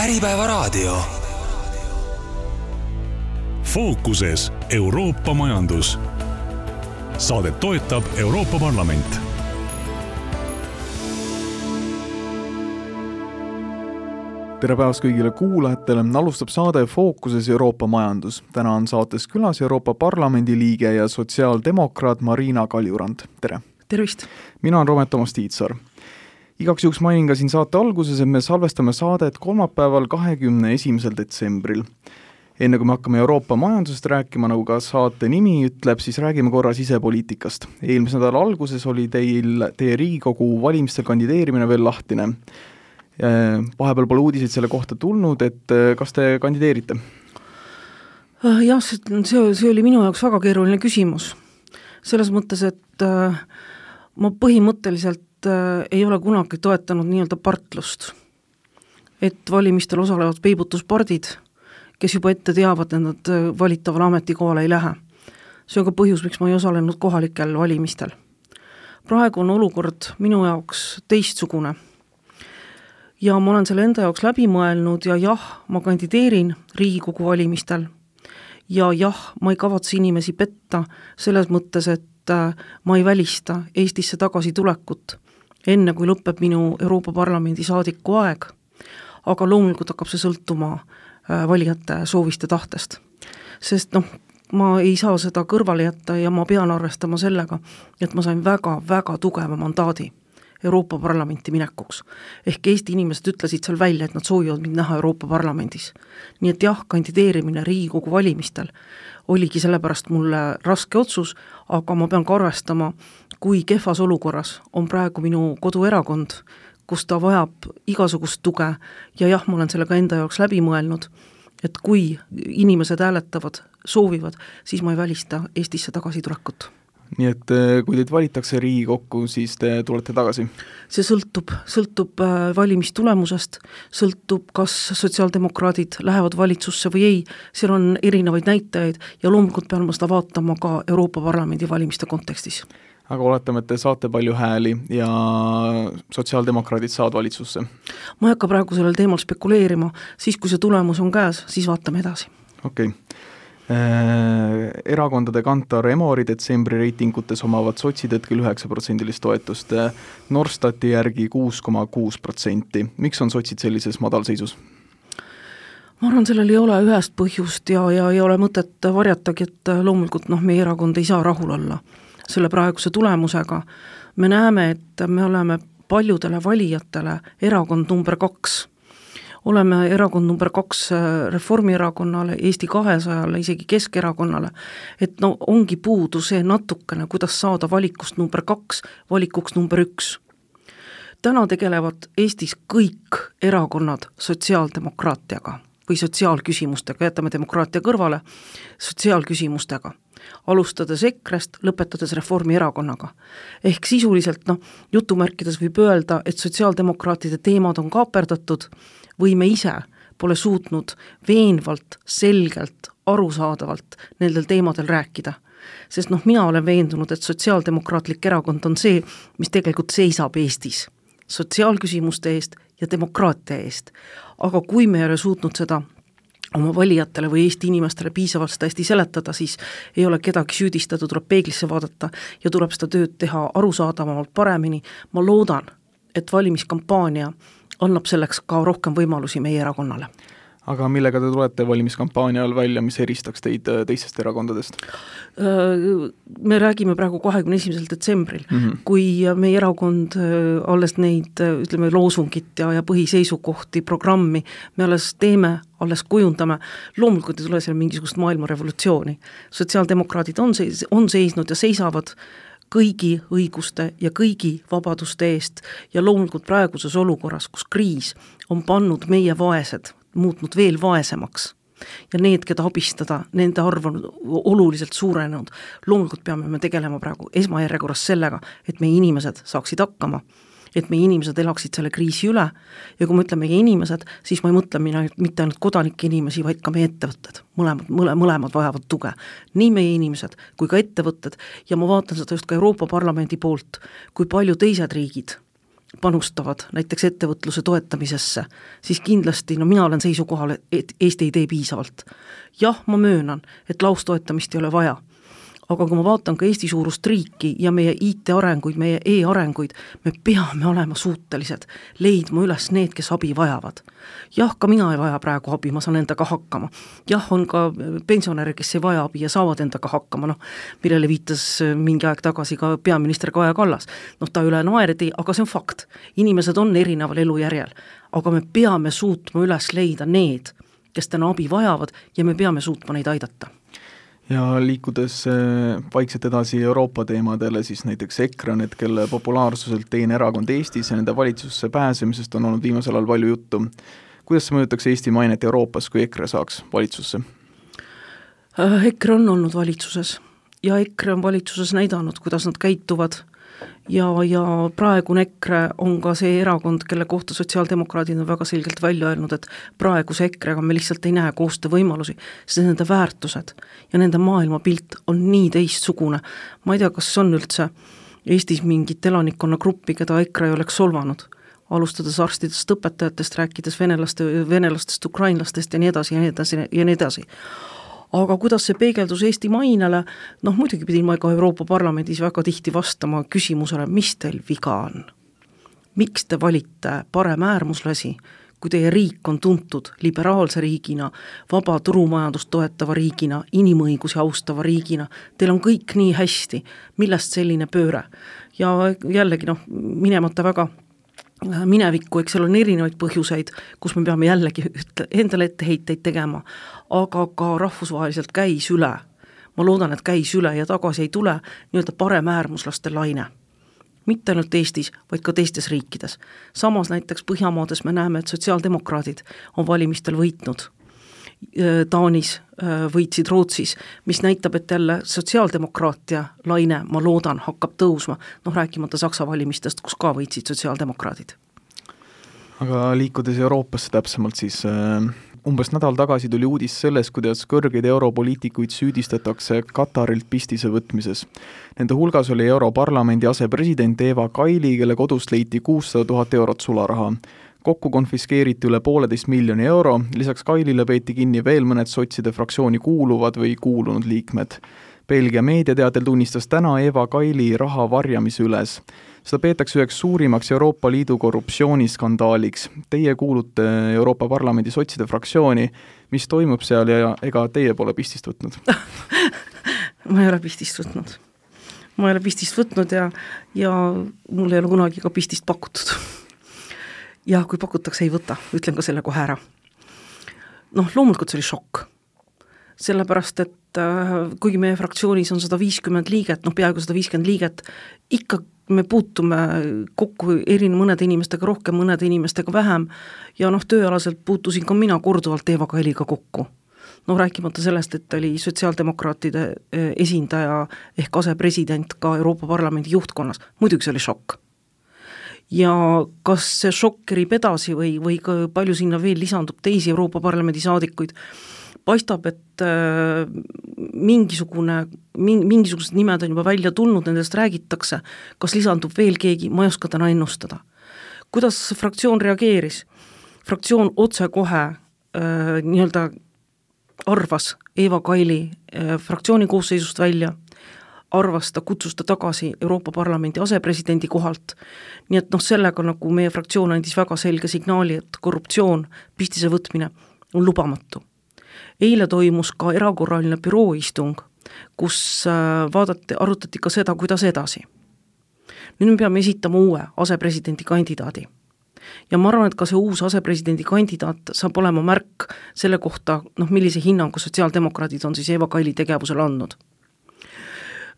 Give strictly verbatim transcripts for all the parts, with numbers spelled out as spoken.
Äripäevaraadio. Fookuses Euroopa majandus. Saadet toetab Euroopa Parlament. Tere päevast kõigile kuulajatele. Alustab saade Fookuses Euroopa majandus. Täna on saates külas Euroopa Parlamendi liige ja sotsiaaldemokraat Marina Kaljurand. Tere! Tervist! Mina on Romet Toomas Tiitsaar. Igaks juhuks mainin ka siin saate alguses, et me salvestame saadet kolmapäeval kahekümne esimesel detsembril. Enne kui me hakkame Euroopa majandusest rääkima, nagu ka saate nimi ütleb, siis räägime korra sisepoliitikast. Eelmise nädala alguses oli teil teie Riigikogu valimistel kandideerimine veel lahtine. Vahepeal pole uudiseid selle kohta tulnud, et kas te kandideerite? Jah, see, see oli minu jaoks väga keeruline küsimus. Selles mõttes, et ma põhimõtteliselt ei ole kunagi toetanud nii-öelda partlust. Et valimistel osalevad peibutuspardid, kes juba ette teavad, et nad valitavale ametikohale ei lähe. See on ka põhjus, miks ma ei osalenud kohalikel valimistel. Praegu on olukord minu jaoks teistsugune. Ja ma olen selle enda jaoks läbi mõelnud ja jah, ma kandideerin Riigikogu valimistel. Ja jah, ma ei kavatse inimesi petta selles mõttes, et ma ei välista Eestisse tagasi tulekut, enne kui lõpeb minu Euroopa Parlamendi saadiku aeg, aga loomulikult hakkab see sõltuma valijate sooviste tahtest. Sest noh, ma ei saa seda kõrvale jätta ja ma pean arvestama sellega, et ma sain väga-väga tugeva mandaadi Euroopa Parlamenti minekuks. Ehk Eesti inimesed ütlesid seal välja, et nad soovivad mind näha Euroopa Parlamendis. Nii et jah, kandideerimine Riigikogu valimistel oligi sellepärast mulle raske otsus, aga ma pean ka arvestama, kui kehvas olukorras on praegu minu koduerakond, kus ta vajab igasugust tuge ja jah, ma olen selle ka enda jaoks läbi mõelnud, et kui inimesed hääletavad, soovivad, siis ma ei välista Eestisse tagasi tulekut. Nii et kui teid valitakse Riigikokku, siis te tulete tagasi? See sõltub, sõltub valimistulemusest, sõltub, kas sotsiaaldemokraadid lähevad valitsusse või ei, seal on erinevaid näitajaid ja loomulikult pean ma seda vaatama ka Euroopa Parlamendi valimiste kontekstis. Aga oletame, et te saate palju hääli ja sotsiaaldemokraadid saavad valitsusse? Ma ei hakka praegu sellel teemal spekuleerima, siis kui see tulemus on käes, siis vaatame edasi. Okei. Okay. Erakondade kantar Emori detsembri reitingutes omavad sotsid hetkel üheksa protsendilist toetust, Norstati järgi kuus koma kuus protsenti. Miks on sotsid sellises madalseisus? Ma arvan, sellel ei ole ühest põhjust ja, ja ei ole mõtet varjatagi, et loomulikult noh, meie erakond ei saa rahul olla selle praeguse tulemusega. Me näeme, et me oleme paljudele valijatele erakond number kaks. Oleme erakond number kaks Reformierakonnale, Eesti kahesajale, isegi Keskerakonnale, et no ongi puudu see natukene, kuidas saada valikust number kaks, valikuks number üks. Täna tegelevad Eestis kõik erakonnad sotsiaaldemokraatiaga või sotsiaalküsimustega, jätame demokraatia kõrvale, sotsiaalküsimustega. Alustades EKRE-st, lõpetades Reformierakonnaga. Ehk sisuliselt, noh, jutumärkides võib öelda, et sotsiaaldemokraatide teemad on kaaperdatud või me ise pole suutnud veenvalt, selgelt, arusaadavalt nendel teemadel rääkida. Sest noh, mina olen veendunud, et sotsiaaldemokraatlik erakond on see, mis tegelikult seisab Eestis sotsiaalküsimuste eest ja demokraatia eest. Aga kui me ei ole suutnud seda oma valijatele või Eesti inimestele piisavalt seda hästi seletada, siis ei ole kedagi süüdistada, tuleb peeglisse vaadata ja tuleb seda tööd teha arusaadavamalt paremini. Ma loodan, et valimiskampaania annab selleks ka rohkem võimalusi meie erakonnale. Aga millega te tulete valimiskampaania all välja, mis eristaks teid teistest erakondadest? Me räägime praegu kahekümne esimesel detsembril, mm-hmm. kui meie erakond alles neid, ütleme, loosungit ja, ja põhiseisukohti, programmi, me alles teeme, alles kujundame, loomulikult ei tule seal mingisugust maailmarevolutsiooni. Sotsiaaldemokraadid on, seis, on seisnud ja seisavad kõigi õiguste ja kõigi vabaduste eest ja loomulikult praeguses olukorras, kus kriis on pannud meie vaesed, muutnud veel vaesemaks ja need, keda abistada, nende arv on oluliselt suurenenud. Loomulikult peame me tegelema praegu esmajärjekorras sellega, et meie inimesed saaksid hakkama, et meie inimesed elaksid selle kriisi üle ja kui me ütleme meie inimesed, siis ma ei mõtle mina mitte ainult kodanike inimesi, vaid ka meie ettevõtted. Mõlemad, mõle, mõlemad vajavad tuge. Nii meie inimesed kui ka ettevõtted ja ma vaatan seda just ka Euroopa Parlamendi poolt, kui palju teised riigid panustavad näiteks ettevõtluse toetamisesse, siis kindlasti, no mina olen seisukohal, et Eesti ei tee piisavalt. Jah, ma möönan, et laustoetamist ei ole vaja, aga kui ma vaatan ka Eesti suurust riiki ja meie I T-arenguid, meie e-arenguid, me peame olema suutelised leidma üles need, kes abi vajavad. Jah, ka mina ei vaja praegu abi, ma saan endaga hakkama. Jah, on ka pensionäre, kes ei vaja abi ja saavad endaga hakkama, noh, millele viitas mingi aeg tagasi ka peaminister Kaja Kallas. Noh, ta üle naerdi, aga see on fakt. Inimesed on erineval elujärjel, aga me peame suutma üles leida need, kes täna abi vajavad ja me peame suutma neid aidata. Ja liikudes vaikselt edasi Euroopa teemadele, siis näiteks EKRE on, et kelle populaarsuselt teine erakond Eestis ja nende valitsusse pääsemisest on olnud viimasel ajal palju juttu. Kuidas see mõjutaks Eesti mainet Euroopas, kui EKRE saaks valitsusse? EKRE on olnud valitsuses ja EKRE on valitsuses näidanud, kuidas nad käituvad ja, ja praegune EKRE on ka see erakond, kelle kohta sotsiaaldemokraadid on väga selgelt välja öelnud, et praeguse EKRE-ga me lihtsalt ei näe koostöö võimalusi, sest nende väärtused ja nende maailmapilt on nii teistsugune. Ma ei tea, kas on üldse Eestis mingit elanikkonna gruppi, keda EKRE ei oleks solvanud, alustades arstidest, õpetajatest, rääkides venelaste, venelastest, ukrainlastest ja nii edasi ja nii edasi ja nii edasi. Aga kuidas see peegeldus Eesti mainele, noh muidugi pidin ma ka Euroopa Parlamendis väga tihti vastama küsimusele, mis teil viga on? Miks te valite parem äärmuslasi, kui teie riik on tuntud liberaalse riigina, vaba turumajandust toetava riigina, inimõigusi austava riigina, teil on kõik nii hästi, millest selline pööre? Ja jällegi noh, minemata väga minevikku, eks seal on erinevaid põhjuseid, kus me peame jällegi endale etteheiteid tegema, aga ka rahvusvaheliselt käis üle. Ma loodan, et käis üle ja tagasi ei tule nii-öelda parem äärmuslaste laine. Mitte ainult Eestis, vaid ka teistes riikides. Samas näiteks Põhjamaades me näeme, et sotsiaaldemokraadid on valimistel võitnud. Taanis võitsid Rootsis, mis näitab, et jälle sotsiaaldemokraatia laine, ma loodan, hakkab tõusma, noh rääkimata Saksa valimistest, kus ka võitsid sotsiaaldemokraadid. Aga liikudes Euroopasse täpsemalt, siis äh, umbes nädal tagasi tuli uudis sellest, kuidas kõrgeid europoliitikuid süüdistatakse Katarilt pistise võtmises. Nende hulgas oli Europarlamendi asepresident Eva Kaili, kelle kodust leiti kuussada tuhat eurot sularaha. Kokku konfiskeeriti üle pooleteist miljoni euro, lisaks Kailile peeti kinni veel mõned sotside fraktsiooni kuuluvad või kuulunud liikmed. Belgia meediateatel tunnistas täna Eva Kaili raha varjamise üles. Seda peetakse üheks suurimaks Euroopa Liidu korruptsiooniskandaaliks. Teie kuulute Euroopa Parlamendi sotside fraktsiooni. Mis toimub seal ja ega teie pole pistist võtnud? Ma ei ole pistist võtnud. Ma ei ole pistist võtnud ja, ja mul ei ole kunagi ka pistist pakutud. Ja kui pakutakse, ei võta, ütlen ka selle kohe ära. Noh, loomulikult see oli šokk. Sellepärast, et äh, kuigi meie fraktsioonis on sada viiskümmend liiget, noh peaaegu sada viiskümmend liiget, ikka me puutume kokku erin mõnede inimestega rohkem, mõnede inimestega vähem ja noh, tööalaselt puutusin ka mina korduvalt Eva Kailiga kokku. Noh, rääkimata sellest, et oli sotsiaaldemokraatide esindaja ehk asepresident ka Euroopa Parlamendi juhtkonnas. Muidugi see oli šokk. Ja kas see šokk kerib edasi või, või palju sinna veel lisandub teisi Euroopa Parlamendi saadikuid, paistab, et äh, mingisugune, mingisugused nimed on juba välja tulnud, nendest räägitakse, kas lisandub veel keegi, ma ei oska täna ennustada. Kuidas fraktsioon reageeris? Fraktsioon otse kohe äh, nii-öelda arvas Eva Kaili äh, fraktsiooni koosseisust välja, arvas ta, kutsus ta tagasi Euroopa Parlamendi asepresidendi kohalt. Nii et noh, sellega nagu meie fraktsioon andis väga selge signaali, et korruptsioon, pistise võtmine on lubamatu. Eile toimus ka erakorraline bürooistung, kus vaadati, arutati ka seda, kuidas edasi. Nüüd me peame esitama uue asepresidendi kandidaadi. Ja ma arvan, et ka see uus asepresidendi kandidaat saab olema märk selle kohta, noh, millise hinnangu sotsiaaldemokraadid on siis Eva Kaili tegevusele andnud.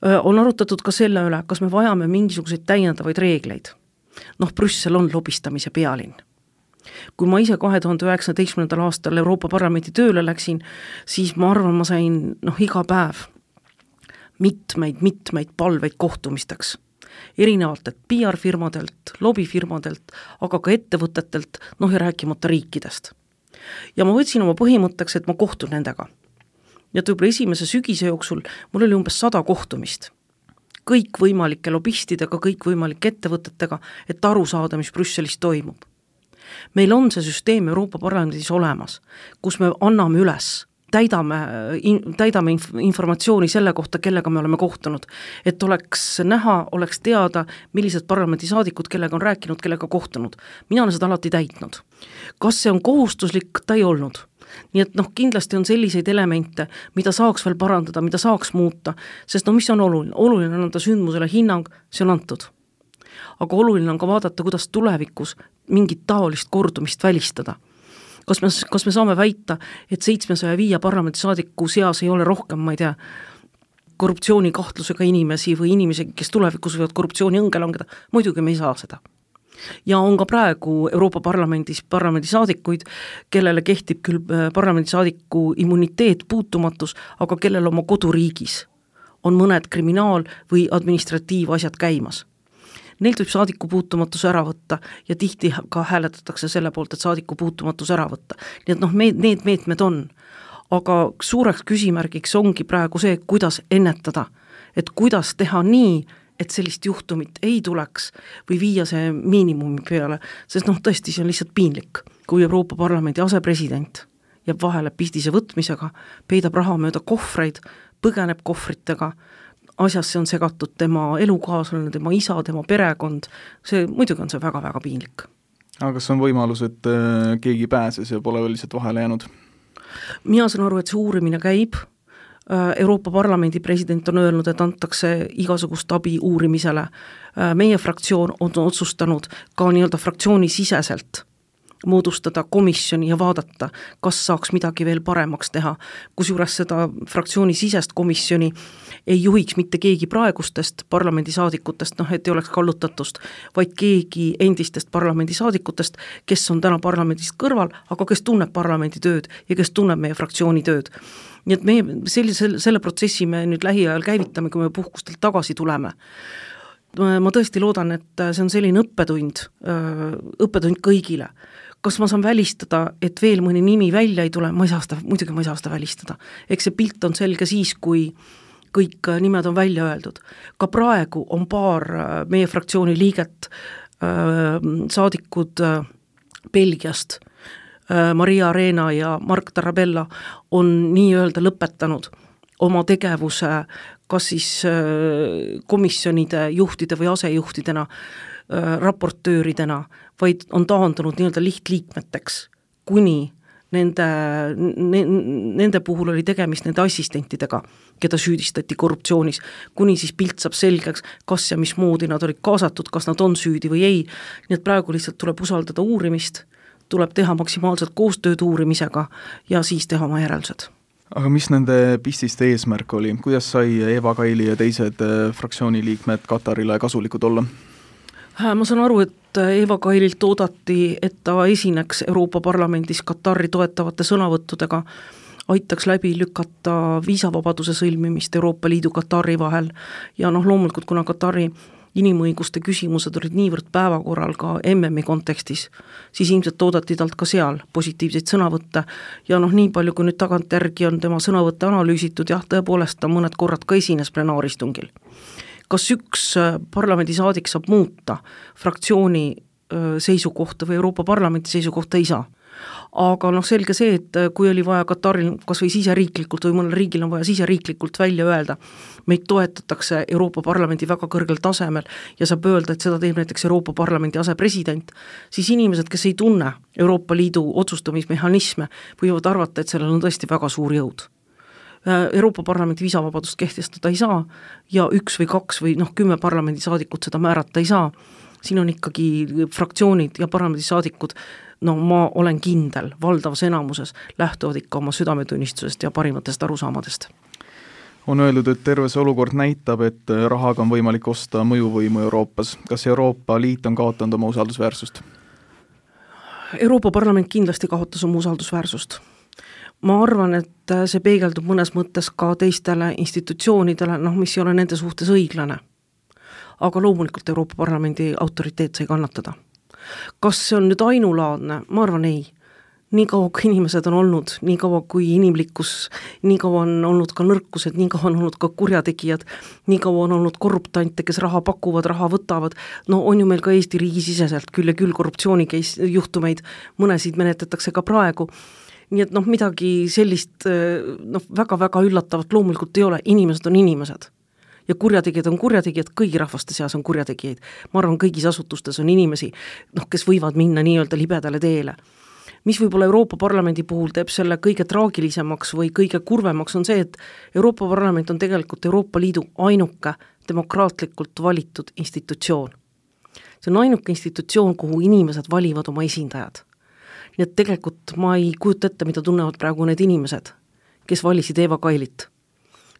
On arutatud ka selle üle, kas me vajame mingisuguseid täiendavaid reegleid. Noh, Brüssel on lobistamise pealinn. Kui ma ise kahe tuhande üheksateistkümnendal aastal Euroopa Parlamendi tööle läksin, siis ma arvan, ma sain noh, iga päev mitmeid, mitmeid palveid kohtumisteks. Erinevalt, et P R-firmadelt, lobifirmadelt, aga ka ettevõtetelt, noh ja rääkimata riikidest. Ja ma võtsin oma põhimõtteks, et ma kohtun nendega. Ja võib-olla esimese sügise jooksul mul oli umbes sada kohtumist. kõikvõimalike lobistidega, kõikvõimalike ettevõtetega, et aru saada, mis Brüsselis toimub. Meil on see süsteem Euroopa Parlamendis olemas, kus me anname üles, täidame, täidame informatsiooni selle kohta, kellega me oleme kohtunud, et oleks näha, oleks teada, millised parlamendisaadikud, kellega on rääkinud, kellega kohtunud. Mina olen seda alati täitnud. Kas see on kohustuslik? Ta ei olnud. Nii et noh, kindlasti on selliseid elemente, mida saaks veel parandada, mida saaks muuta, sest no mis on oluline? Oluline on anda sündmusele hinnang, see on antud. Aga oluline on ka vaadata, kuidas tulevikus mingit taolist kordumist välistada. Kas me, kas me saame väita, et seitsmesaja viie parlamendisaadiku seas ei ole rohkem, ma ei tea, korruptsioonikahtlusega inimesi või inimesi, kes tulevikus võivad korruptsiooni õnge langeda? Muidugi me ei saa seda. Ja on ka praegu Euroopa Parlamendis parlamendisaadikuid, kellele kehtib küll parlamendisaadiku immuniteet, puutumatus, aga kellel oma koduriigis on mõned kriminaal- või administratiivasjad käimas. Neilt võib saadiku puutumatus ära võtta ja tihti ka hääletatakse selle poolt, et saadiku puutumatus ära võtta. Nii et noh, meed, need meetmed on. Aga suureks küsimärgiks ongi praegu see, kuidas ennetada, et kuidas teha nii, et sellist juhtumit ei tuleks või viia see miinimumi peale, sest noh, tõesti see on lihtsalt piinlik, kui Euroopa Parlamendi asepresident jääb vahele pistise võtmisega, peidab raha mööda kohvreid, põgeneb kohvritega, asjasse on segatud tema elukaaslane, tema isa, tema perekond, see muidugi on see väga-väga piinlik. Aga kas on võimalus, et keegi pääses ja pole veel lihtsalt vahele jäänud? Mina saan aru, et see uurimine käib, Euroopa Parlamendi president on öelnud, et antakse igasugust abi uurimisele. Meie fraktsioon on otsustanud ka nii-öelda fraktsiooni siseselt moodustada komisjoni ja vaadata, kas saaks midagi veel paremaks teha. Kusjuures seda fraktsiooni sisest komisjoni ei juhiks mitte keegi praegustest parlamendisaadikutest, noh, et ei oleks kallutatust, vaid keegi endistest parlamendisaadikutest, kes on täna parlamendist kõrval, aga kes tunneb parlamendi tööd ja kes tunneb meie fraktsiooni tööd. Nii et meie sellise, selle protsessi me nüüd lähiajal käivitame, kui me puhkustelt tagasi tuleme. Ma tõesti loodan, et see on selline õppetund, õppetund kõigile. Kas ma saan välistada, et veel mõni nimi välja ei tule? Ma ei saa seda, muidugi ma ei saa seda välistada. Eks see pilt on selge siis, kui kõik nimed on välja öeldud. Ka praegu on paar meie fraktsiooni liiget, saadikud Belgiast, Maria Arena ja Mark Tarabella on nii-öelda lõpetanud oma tegevuse kas siis komisjonide juhtide või asejuhtidena, raportööridena, vaid on taandunud nii-öelda lihtliikmeteks, kuni nende, nende puhul oli tegemist nende assistentidega, keda süüdistati korruptsioonis, kuni siis pilt saab selgeks, kas ja mismoodi nad olid kaasatud, kas nad on süüdi või ei. Nii et praegu lihtsalt tuleb usaldada uurimist, tuleb teha maksimaalselt koostööd uurimisega ja siis teha oma järeldused. Aga mis nende pististe eesmärk oli? Kuidas sai Eva Kaili ja teised fraktsiooni liikmed Katarile kasulikud olla? Ma saan aru, et Eva Kaililt oodati, et ta esineks Euroopa Parlamendis Katari toetavate sõnavõttudega, aitaks läbi lükata viisavabaduse sõlmimist Euroopa Liidu Katari vahel ja noh, loomulikult kuna Katari inimõiguste küsimused olid niivõrd päevakorral ka M M-i kontekstis, siis ilmselt oodati talt ka seal positiivseid sõnavõtte ja noh, nii palju kui nüüd tagantjärgi on tema sõnavõtte analüüsitud, jah, tõepoolest ta mõned korrad ka esines plenaaristungil. Kas üks parlamendisaadik saab muuta fraktsiooni seisukohta või Euroopa Parlamenti seisukohta ei saa? Aga noh, selge see, et kui oli vaja Kataril kas või siseriiklikult või mõnel riigil on vaja siseriiklikult välja öelda, meid toetatakse Euroopa Parlamendi väga kõrgel tasemel ja saab öelda, et seda teeb näiteks Euroopa Parlamendi asepresident, siis inimesed, kes ei tunne Euroopa Liidu otsustamismehhanisme, võivad arvata, et sellel on tõesti väga suur jõud. Euroopa Parlamendi viisavabadust kehtestada ei saa ja üks või kaks või noh, kümme parlamendisaadikut seda määrata ei saa. Siin on ikkagi fraktsioonid ja parlamendisaadikud, no ma olen kindel, valdavas enamuses lähtuvad ikka oma südametunnistusest ja parimatest arusaamadest. On öeldud, et terve see olukord näitab, et rahaga on võimalik osta mõjuvõimu Euroopas. Kas Euroopa Liit on kaotanud oma usaldusväärsust? Euroopa Parlament kindlasti kaotas oma usaldusväärsust. Ma arvan, et see peegeldub mõnes mõttes ka teistele institutsioonidele, noh, mis ei ole nende suhtes õiglane. Aga loomulikult Euroopa Parlamendi autoriteet sai kannatada. Kas see on nüüd ainulaadne? Ma arvan ei. nii kaua kui inimesed on olnud, nii kaua kui inimlikkus, nii kaua on olnud ka nõrkused, nii kaua on olnud ka kurjategijad, nii kaua on olnud korruptante, kes raha pakuvad, raha võtavad, no on ju meil ka Eesti riigisiseselt küll ja küll korruptsiooni juhtumeid, mõnesid menetletakse ka praegu, nii et noh, midagi sellist noh, väga-väga üllatavat loomulikult ei ole, inimesed on inimesed. Ja kurjategijad on kurjategijad, kõigi rahvaste seas on kurjategijaid. Ma arvan, kõigis asutustes on inimesi, noh, kes võivad minna nii-öelda libedale teele. Mis võib-olla Euroopa Parlamendi puhul teeb selle kõige traagilisemaks või kõige kurvemaks on see, et Euroopa Parlament on tegelikult Euroopa Liidu ainuke demokraatlikult valitud institutsioon. See on ainuke institutsioon, kuhu inimesed valivad oma esindajad. Nii et tegelikult ma ei kujuta ette, mida tunnevad praegu need inimesed, kes valisid Eva Kailit.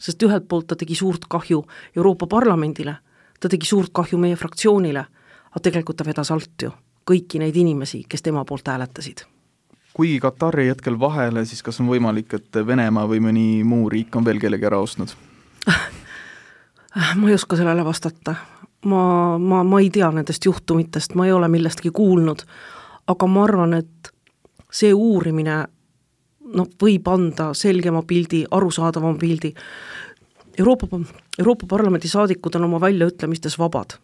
Sest ühelt poolt ta tegi suurt kahju Euroopa Parlamendile, ta tegi suurt kahju meie fraktsioonile, aga tegelikult ta vedas alt ju kõiki neid inimesi, kes tema poolt hääletasid. Kuigi Katari hetkel vahele, siis kas on võimalik, et Venemaa või mõni muu riik on veel kellegi ära ostnud? Ma ei oska sellele vastata. Ma, ma, ma ei tea nendest juhtumitest, ma ei ole millestki kuulnud, aga ma arvan, et see uurimine no, võib anda selgema pildi, arusaadavama pildi. Euroopa, Euroopa Parlamendi saadikud on oma väljaütlemistes vabad.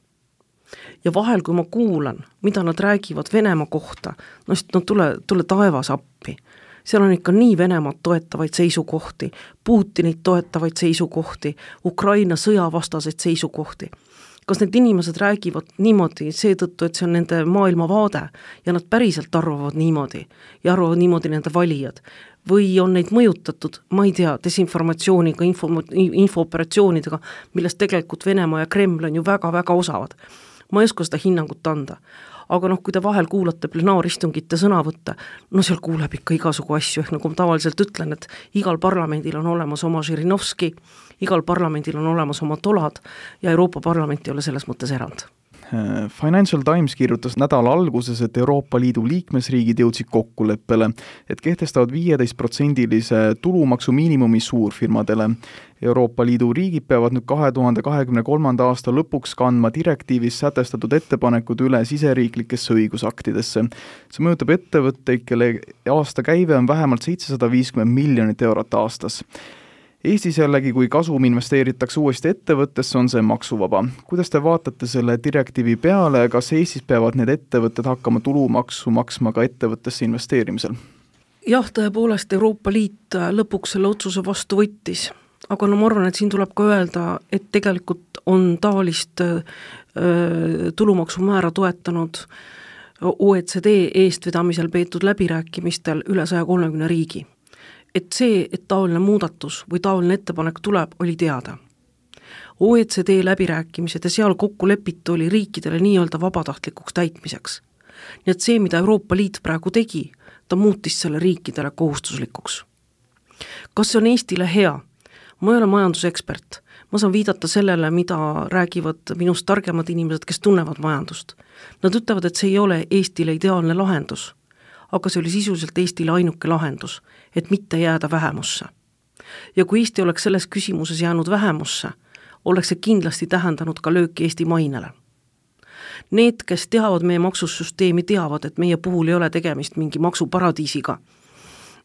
Ja vahel, kui ma kuulan, mida nad räägivad Venemaa kohta, no siis no tule, tule taevas appi. Seal on ikka nii Venemaad toetavaid seisukohti, Putinit toetavaid seisukohti, Ukraina sõjavastaseid seisukohti. Kas need inimesed räägivad niimoodi seetõttu, et see on nende maailmavaade ja nad päriselt arvavad niimoodi ja arvavad niimoodi nende valijad? Või on neid mõjutatud, ma ei tea, desinformatsiooniga, info, infooperatsioonidega, millest tegelikult Venemaa ja Kreml on ju väga-väga osavad. Ma ei oska seda hinnangut anda. Aga noh, kui te vahel kuulate plenaaristungite sõnavõtte, no seal kuuleb ikka igasugu asju, ehk nagu ma tavaliselt ütlen, et igal parlamendil on olemas oma Žirinovski, igal parlamendil on olemas oma tolad ja Euroopa Parlament ei ole selles mõttes erand. Financial Times kirjutas nädala alguses, et Euroopa Liidu liikmesriigid jõudsid kokkuleppele, et kehtestavad viieteist protsendilise tulumaksu miinimumi suurfirmadele. Euroopa Liidu riigid peavad nüüd kahe tuhande kahekümne kolmanda aasta lõpuks kandma direktiivis sätestatud ettepanekud üle siseriiklikesse õigusaktidesse. See mõjutab ettevõtteid, kelle aasta käive on vähemalt seitsesada viiskümmend miljonit eurot aastas. Eestis jällegi, kui kasum investeeritakse uuesti ettevõttesse, on see maksuvaba. Kuidas te vaatate selle direktiivi peale, kas Eestis peavad need ettevõtted hakkama tulumaksu maksma ka ettevõttesse investeerimisel? Jah, tõepoolest Euroopa Liit lõpuks selle otsuse vastu võttis, aga no ma arvan, et siin tuleb ka öelda, et tegelikult on taolist äh, tulumaksumäära toetanud O E C D eestvedamisel peetud läbirääkimistel üle saja kolmekümne riigi. Et see, et taoline muudatus või taoline ettepanek tuleb, oli teada. O E C D läbirääkimised ja seal kokku lepitu oli riikidele nii-öelda vabatahtlikuks täitmiseks. Nii et see, mida Euroopa Liit praegu tegi, ta muutis selle riikidele kohustuslikuks. Kas see on Eestile hea? Ma ei ole majandusekspert. Ma saan viidata sellele, mida räägivad minust targemad inimesed, kes tunnevad majandust. Nad ütlevad, et see ei ole Eestile ideaalne lahendus, aga see oli sisuliselt Eestile ainuke lahendus, et mitte jääda vähemusse. Ja kui Eesti oleks selles küsimuses jäänud vähemusse, oleks see kindlasti tähendanud ka lööki Eesti mainele. Need, kes teavad meie maksusüsteemi, teavad, et meie puhul ei ole tegemist mingi maksuparadiisiga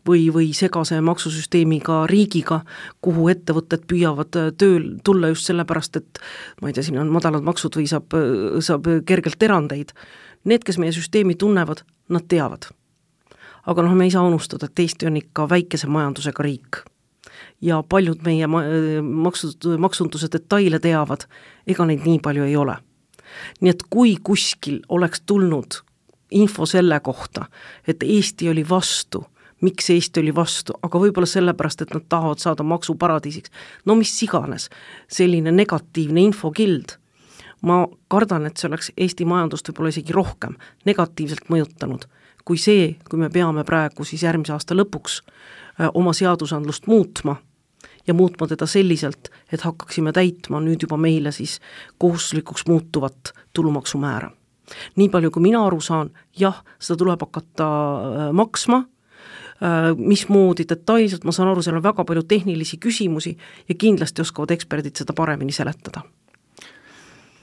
või, või segase maksusüsteemiga riigiga, kuhu ettevõtted püüavad tööl tulla just sellepärast, et ma ei tea, siin on madalad maksud või saab, saab kergelt erandeid. Need, kes meie süsteemi tunnevad, nad teavad. Aga noh, me ei saa unustada, et Eesti on ikka väikese majandusega riik. Ja paljud meie maksud, maksunduse detaile teavad, ega neid nii palju ei ole. Nii et kui kuskil oleks tulnud info selle kohta, et Eesti oli vastu, miks Eesti oli vastu, aga võib-olla sellepärast, et nad tahavad saada maksuparadiisiks, no mis iganes, selline negatiivne infokild, ma kardan, et see oleks Eesti majandust võib-olla isegi rohkem negatiivselt mõjutanud, kui see, kui me peame praegu siis järgmise aasta lõpuks oma seadusandlust muutma ja muutma teda selliselt, et hakkaksime täitma nüüd juba meile siis kohustuslikuks muutuvat tulumaksumäära. Nii palju, kui mina aru saan, jah, seda tuleb hakata maksma, mismoodi detailselt, ma saan aru, seal on väga palju tehnilisi küsimusi ja kindlasti oskavad eksperdid seda paremini seletada.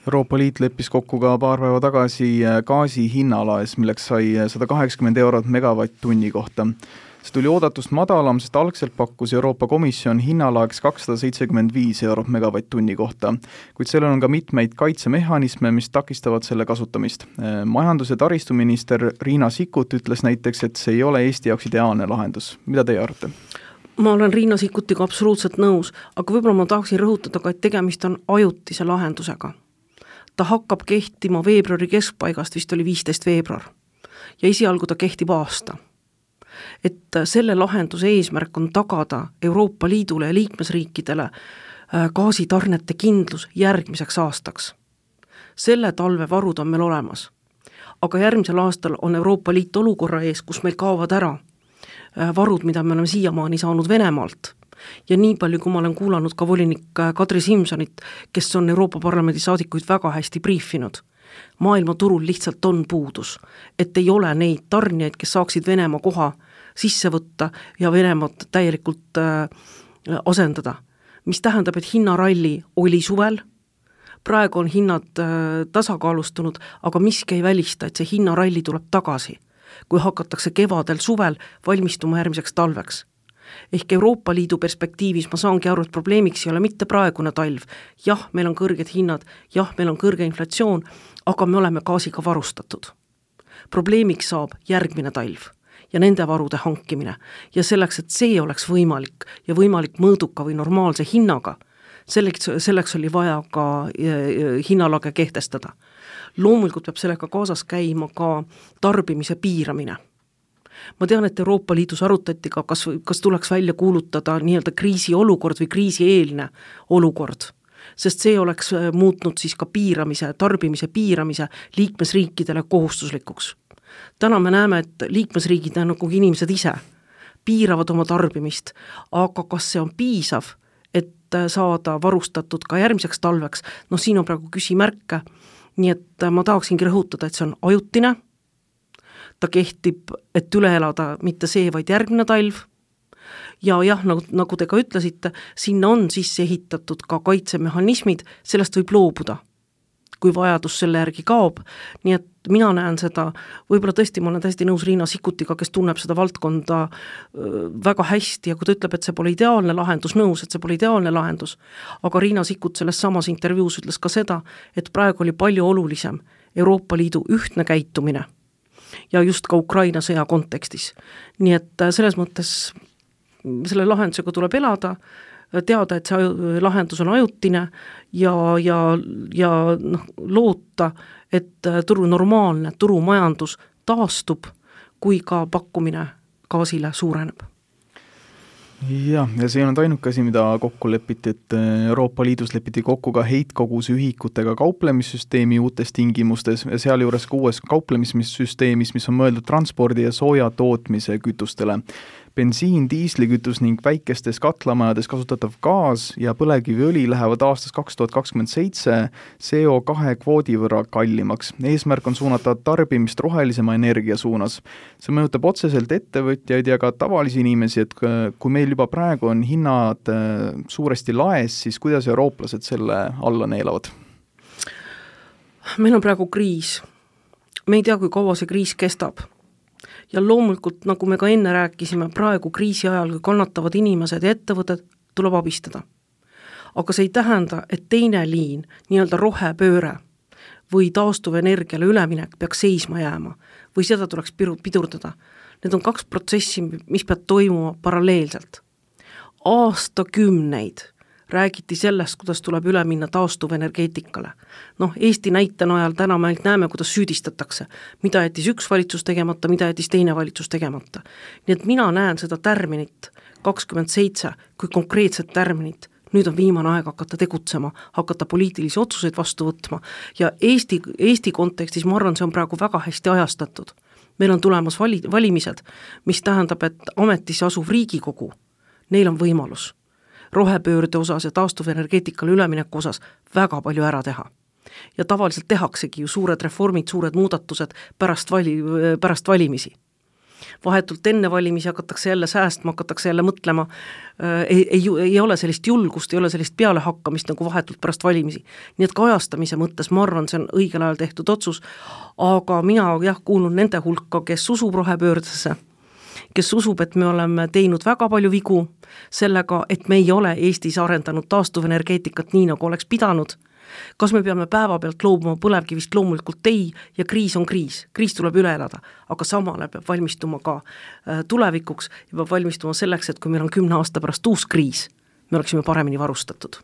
Euroopa Liit leppis kokku ka paar päeva tagasi gaasi hinnalaes, milleks sai sada kaheksakümmend eurot megavatt-tunni kohta. See tuli oodatust madalam, sest algselt pakkus Euroopa Komisjon hinnalaeks kakssada seitsekümmend viis eurot megavatt-tunni kohta, kuid sellel on ka mitmeid kaitsemehhanisme, mis takistavad selle kasutamist. Majandus- ja taristuminister Riina Sikkut ütles näiteks, et see ei ole Eesti jaoks ideaalne lahendus. Mida teie arvate? Ma olen Riina Sikkutiga absoluutselt nõus, aga võib-olla ma tahaksin rõhutada ka, et tegemist on ajutise lahendusega. Ta hakkab kehtima veebruari keskpaigast, vist oli viisteist veebruar, ja esialgu ta kehtib aasta. Et selle lahenduse eesmärk on tagada Euroopa Liidule ja liikmesriikidele gaasitarnete kindlus järgmiseks aastaks. Selle talve varud on meil olemas, aga järgmisel aastal on Euroopa Liit olukorra ees, kus meil kaovad ära varud, mida me oleme siiamaani saanud Venemaalt. Ja nii palju, kui ma olen kuulanud ka volinik Kadri Simsonit, kes on Euroopa Parlamendi saadikuid väga hästi briifinud, maailma turul lihtsalt on puudus, et ei ole neid tarnijaid, kes saaksid Venemaa koha sisse võtta ja Venemaad täielikult äh, asendada. Mis tähendab, et hinnaralli oli suvel, praegu on hinnad äh, tasakaalustunud, aga miski ei välista, et see hinnaralli tuleb tagasi, kui hakatakse kevadel suvel valmistuma järgmiseks talveks. Ehk Euroopa Liidu perspektiivis ma saangi aru, et probleemiks ei ole mitte praegune talv. Jah, meil on kõrged hinnad, jah, meil on kõrge inflatsioon, aga me oleme gaasiga varustatud. Probleemiks saab järgmine talv ja nende varude hankimine. Ja selleks, et see oleks võimalik ja võimalik mõõduka või normaalse hinnaga, selleks, selleks oli vaja ka hinnalage kehtestada. Loomulikult peab sellega kaasas käima ka tarbimise piiramine. Ma tean, et Euroopa Liidus arutati ka, kas, kas tuleks välja kuulutada nii-öelda kriisi olukord või kriisieelne olukord, sest see oleks muutnud siis ka piiramise, tarbimise piiramise liikmesriikidele kohustuslikuks. Täna me näeme, et liikmesriigid on nagu inimesed ise piiravad oma tarbimist, aga kas see on piisav, et saada varustatud ka järgmiseks talveks, no siin on praegu küsimärke, nii et ma tahaksingi rõhutada, et see on ajutine, ta kehtib, et üle elada mitte see, vaid järgmine talv. Ja jah, nagu, nagu te ka ütlesite, sinna on sisse ehitatud ka kaitsemehhanismid, sellest võib loobuda, kui vajadus selle järgi kaob. Nii et mina näen seda, võib-olla tõesti ma olen täiesti nõus Riina Sikkutiga, kes tunneb seda valdkonda väga hästi ja kui ta ütleb, et see pole ideaalne lahendus, nõus, et see pole ideaalne lahendus, aga Riina Sikkut selles samas intervjuus ütles ka seda, et praegu oli palju olulisem Euroopa Liidu ühtne käitumine ja just ka Ukraina sõja kontekstis. Nii et selles mõttes selle lahendusega tuleb elada, teada, et see lahendus on ajutine ja, ja, ja noh, loota, et turu normaalne turumajandus taastub, kui ka pakkumine gaasile suureneb. Jah, ja see on ainuke asi, mida kokku lepiti, et Euroopa Liidus lepiti kokku ka heitkoguse ühikutega kauplemissüsteemi uutes tingimustes ja seal juures ka uues kauplemissüsteemis, mis on mõeldud transpordi ja sooja tootmise kütustele. Bensiin, diislikütus ning väikestes katlamajades kasutatav gaas ja põlevkiviõli lähevad aastas kaks tuhat kakskümmend seitse C O kahe kvoodi võrra kallimaks. Eesmärk on suunata tarbimist rohelisema energia suunas. See mõjutab otseselt ettevõtjaid ja ka tavalisi inimesi, et kui meil juba praegu on hinnad suuresti laes, siis kuidas eurooplased selle alla neelavad? Meil on praegu kriis. Me ei tea, kui kaua see kriis kestab. Ja loomulikult, nagu me ka enne rääkisime, praegu kriisi ajal, kui kannatavad inimesed ja ettevõtted, tuleb abistada. Aga see ei tähenda, et teine liin, nii-öelda rohepööre või taastuvenergiale üleminek peaks seisma jääma või seda tuleks pidurdada. Need on kaks protsessi, mis peab toimuma paralleelselt. Aastakümneid räägiti sellest, kuidas tuleb üle minna taastuvenergeetikale. Noh, Eesti näite najal täna me näeme, kuidas süüdistatakse, mida jättis üks valitsus tegemata, mida jättis teine valitsus tegemata. Nii et mina näen seda tärminit kakskümmend seitse kui konkreetset tärminit. Nüüd on viimane aeg hakata tegutsema, hakata poliitilisi otsuseid vastu võtma ja Eesti, Eesti kontekstis ma arvan, see on praegu väga hästi ajastatud. Meil on tulemas vali, valimised, mis tähendab, et ametisse asuv Riigikogu, neil on võimalus rohepöörde osas ja taastuvenergeetikale ülemineku osas väga palju ära teha. Ja tavaliselt tehaksegi ju suured reformid, suured muudatused pärast, vali, pärast valimisi. vahetult enne valimisi hakatakse jälle säästma, hakatakse jälle mõtlema, ei, ei, ei ole sellist julgust, ei ole sellist pealehakkamist nagu vahetult pärast valimisi. Nii et kajastamise mõttes ma arvan, see on õigel ajal tehtud otsus, aga mina jah kuulun nende hulka, kes usub rohepöördesse, kes usub, et me oleme teinud väga palju vigu sellega, et me ei ole Eestis arendanud taastuvenergeetikat nii, nagu oleks pidanud. Kas me peame päeva pealt loobuma põlevkivist, loomulikult ei, ja kriis on kriis, kriis tuleb üle elada, aga samale peab valmistuma ka tulevikuks ja peab valmistuma selleks, et kui meil on kümne aasta pärast uus kriis, me oleksime paremini varustatud.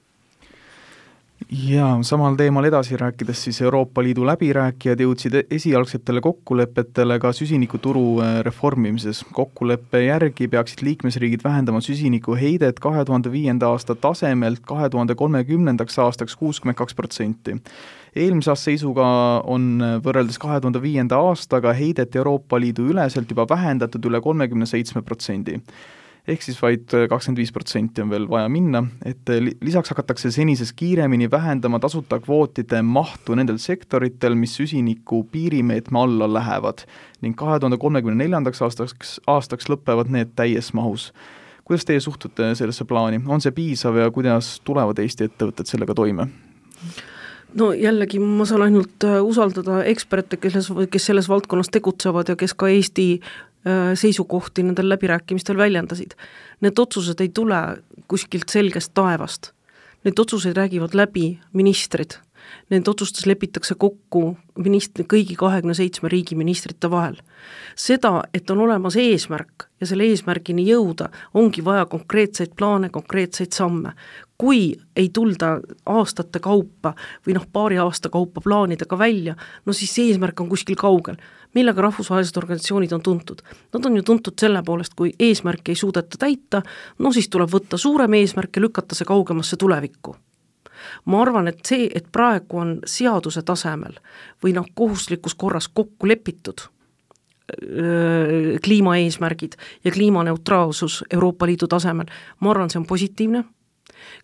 Ja samal teemal edasi rääkides siis Euroopa Liidu läbirääkijad jõudsid esialgsetele kokkulepetele ka süsinikuturu reformimises. Kokkuleppe järgi peaksid liikmesriigid vähendama süsiniku heidet kahe tuhande viienda aasta tasemelt kahe tuhande kolmekümnendaks aastaks kuuskümmend kaks protsenti. Eelmise aasta seisuga on võrreldes kahe tuhande viienda aastaga heidet Euroopa Liidu üleselt juba vähendatud üle kolmekümne seitsme protsendi. Ehk siis vaid kakskümmend viis protsenti on veel vaja minna, et lisaks hakatakse senisest kiiremini vähendama tasuta kvootide mahtu nendel sektoritel, mis süsiniku piirimeetme alla lähevad ning kahe tuhande kolmekümne neljandaks aastaks, aastaks lõpevad need täies mahus. Kuidas teie suhtute sellesse plaani? On see piisav ja kuidas tulevad Eesti ettevõtted sellega toime? No jällegi ma saan ainult usaldada eksperte, kes, kes selles valdkonnas tegutsevad ja kes ka Eesti seisukohti nendel läbirääkimistel väljendasid. Need otsused ei tule kuskilt selgest taevast. Need otsused räägivad läbi ministrid. Need otsustes lepitakse kokku ministri, kõigi kahekümne seitsme riigi ministrite vahel. Seda, et on olemas eesmärk ja selle eesmärgini jõuda, ongi vaja konkreetseid plaane, konkreetseid samme. Kui ei tulda aastate kaupa või noh, paari aasta kaupa plaanidega välja, no siis see eesmärk on kuskil kaugel. Millega rahvusvahelised organisatsioonid on tuntud? Nad on ju tuntud selle poolest, kui eesmärki ei suudeta täita, no siis tuleb võtta suurem eesmärk ja lükata see kaugemasse tulevikku. Ma arvan, et see, et praegu on seaduse tasemel või noh, kohustuslikus korras kokku lepitud öö, kliimaeesmärgid ja kliimaneutraalsus Euroopa Liidu tasemel, ma arvan, see on positiivne.